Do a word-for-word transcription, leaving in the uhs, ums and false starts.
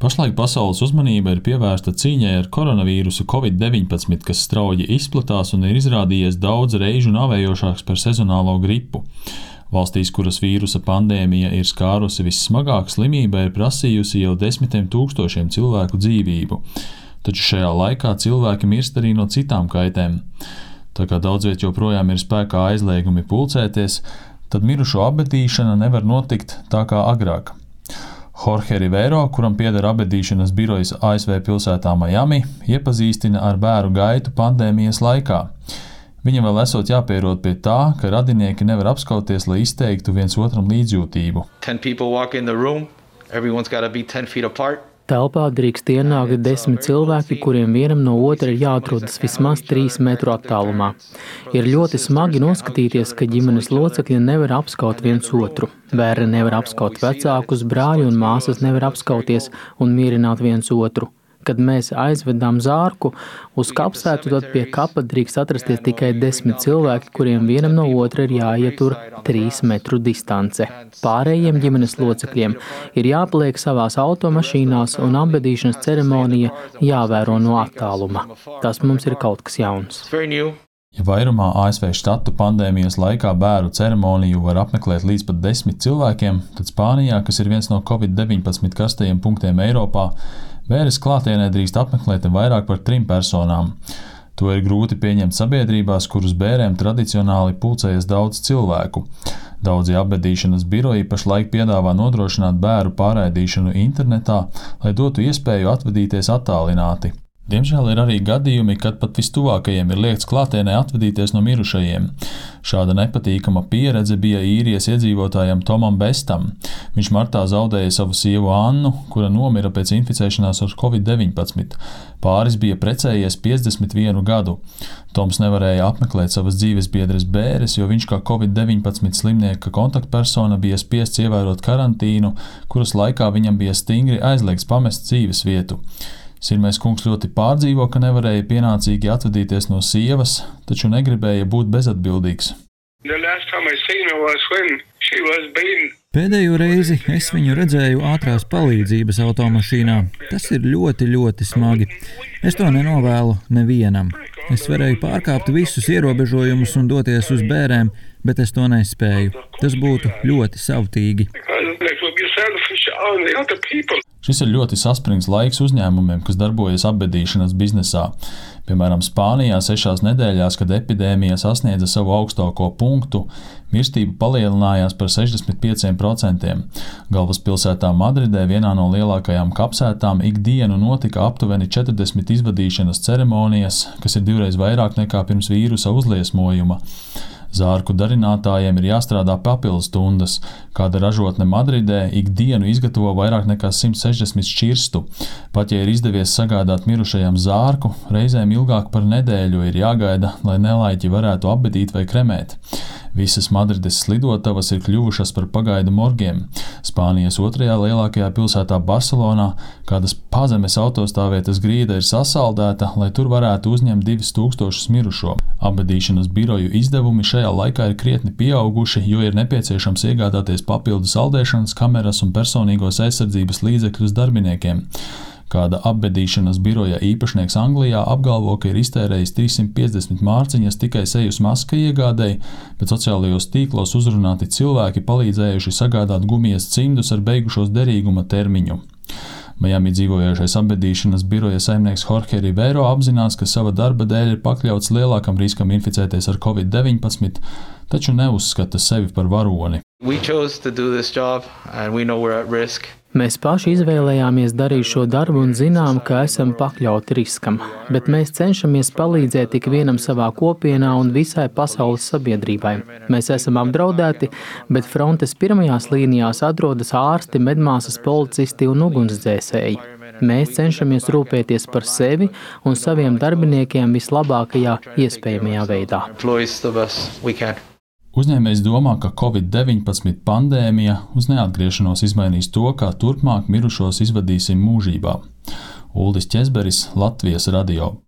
Pašlaik pasaules uzmanība ir pievērsta cīņai ar koronavīrusu covid deviņpadsmit, kas strauji izplatās un ir izrādījies daudz reižu nāvējošāks par sezonālo gripu. Valstīs, kuras vīrusa pandēmija ir skārusi vissmagāk, slimība ir prasījusi jau desmitiem tūkstošiem cilvēku dzīvību. Taču šajā laikā cilvēki mirst arī no citām kaitēm. Tā kā daudzviet joprojām ir spēkā aizliegumi pulcēties, tad mirušo abedīšana nevar notikt tā kā agrāk. Jorge Rivero, kuram pieder abedīšanas birojas A S V pilsētā Miami, iepazīstina ar bēru gaitu pandēmijas laikā. Viņam vēl esot jāpierod pie tā, ka radinieki nevar apskauties, lai izteiktu viens otram līdzjūtību. Telpā drīkst ienākt desmit cilvēki, kuriem vienam no otra ir jāatrodas vismaz trīs metru attālumā. Ir ļoti smagi noskatīties, ka ģimenes locekļi nevar apskaut viens otru. Bērni nevar apskaut vecākus, brāļi un māsas nevar apskauties un mierināt viens otru. Kad mēs aizvedām zārku uz kapsētu, tad pie kapa drīkst atrasties tikai desmit cilvēki, kuriem vienam no otra ir jāietur trīs metru distance. Pārējiem ģimenes locekļiem ir jāpaliek savās automašīnās un abedīšanas ceremonija jāvēro no attāluma. Tas mums ir kaut kas jauns. Ja vairumā A S V štatu pandēmijas laikā bēru ceremoniju var apmeklēt līdz pat desmit cilvēkiem, tad Spānijā, kas ir viens no covid deviņpadsmit karstajiem punktiem Eiropā, bēres klātienē drīkst apmeklēt vairāk par trim personām. To ir grūti pieņemt sabiedrībās, kuras bērēm tradicionāli pulcējas daudz cilvēku. Daudzi abedīšanas biroji pašlaik piedāvā nodrošināt bēru pārraidīšanu internetā, lai dotu iespēju atvadīties attālināti. Diemžēl ir arī gadījumi, kad pat vistuvākajiem ir liegts klātienē atvadīties no mirušajiem. Šāda nepatīkama pieredze bija īrijas iedzīvotājam Tomam Bestam. Viņš martā zaudēja savu sievu Annu, kura nomira pēc inficēšanās ar covid deviņpadsmit. Pāris bija precējies piecdesmit vienu gadu. Toms nevarēja apmeklēt savas dzīvesbiedres bēres, jo viņš kā covid deviņpadsmit slimnieka kontaktpersona bija spiests ievērot karantīnu, kuras laikā viņam bija stingri aizliegts pamest dzīves vietu. Sirmais kungs ļoti pārdzīvo, ka nevarēja pienācīgi atvadīties no sievas, taču negribēja būt bezatbildīgs. Pēdējo reizi es viņu redzēju ātrās palīdzības automašīnā. Tas ir ļoti, ļoti smagi. Es to nenovēlu nevienam. Es varēju pārkāpt visus ierobežojumus un doties uz bērēm, bet es to nespēju. Tas būtu ļoti savtīgi. Šis ir ļoti saspringts laiks uzņēmumiem, kas darbojas abedīšanas biznesā. Piemēram, Spānijā sešās nedēļās, kad epidēmija sasniedza savu augstāko punktu, mirstība palielinājās par sešdesmit pieciem procentiem. Galvaspilsētā Madridē, vienā no lielākajām kapsētām, ikdienu notika aptuveni četrdesmit izvadīšanas ceremonijas, kas ir divreiz vairāk nekā pirms vīrusa uzliesmojuma. Zārku darinātājiem ir jāstrādā papildus stundas. Kāda ražotne Madridē ikdienu izgatavo vairāk nekā simt sešdesmit šķirstu. Pat ja ir izdevies sagādāt mirušajam zārku, reizēm ilgāk par nedēļu ir jāgaida, lai nelaiķi varētu apbedīt vai kremēt. Visas Madrides slidotavas ir kļuvušas par pagaidu morgiem. Spānijas otrajā lielākajā pilsētā Barcelonā kādas pazemes autostāvvietas grīda ir sasaldēta, lai tur varētu uzņemt divus tūkstošus mirušo. Abedīšanas biroju izdevumi šajā laikā ir krietni pieauguši, jo ir nepieciešams iegādāties papildu saldēšanas kameras un personīgos aizsardzības līdzekļus darbiniekiem. Kāda abedīšanas biroja īpašnieks Anglijā apgalvo, ka ir iztērējis trīssimt piecdesmit mārciņas tikai sejas maska iegādēji, bet sociālajos tīklos uzrunāti cilvēki palīdzējuši sagādāt gumijas cimdus ar beigušos derīguma termiņu. Miami dzīvojošais abedīšanas biroja saimnieks Jorge Rivero apzinās, ka sava darba dēļ ir pakļauts lielākam riskam inficēties ar covid deviņpadsmit, taču neuzskata sevi par varoni. Mēs paši izvēlējāmies darīt šo darbu un zinām, ka esam pakļauti riskam, bet mēs cenšamies palīdzēt ik vienam savā kopienā un visai pasaules sabiedrībai. Mēs esam apdraudēti, bet frontes pirmajās līnijās atrodas ārsti, medmāsas, policisti un ugunsdzēsēji. Mēs cenšamies rūpēties par sevi un saviem darbiniekiem vislabākajā iespējamajā veidā. Uzņēmējs domā, ka covid deviņpadsmit pandēmija uz neatgriešanos izmainīs to, kā turpmāk mirušos izvadīsim mūžībā. Uldis Ķezberis, Latvijas radio.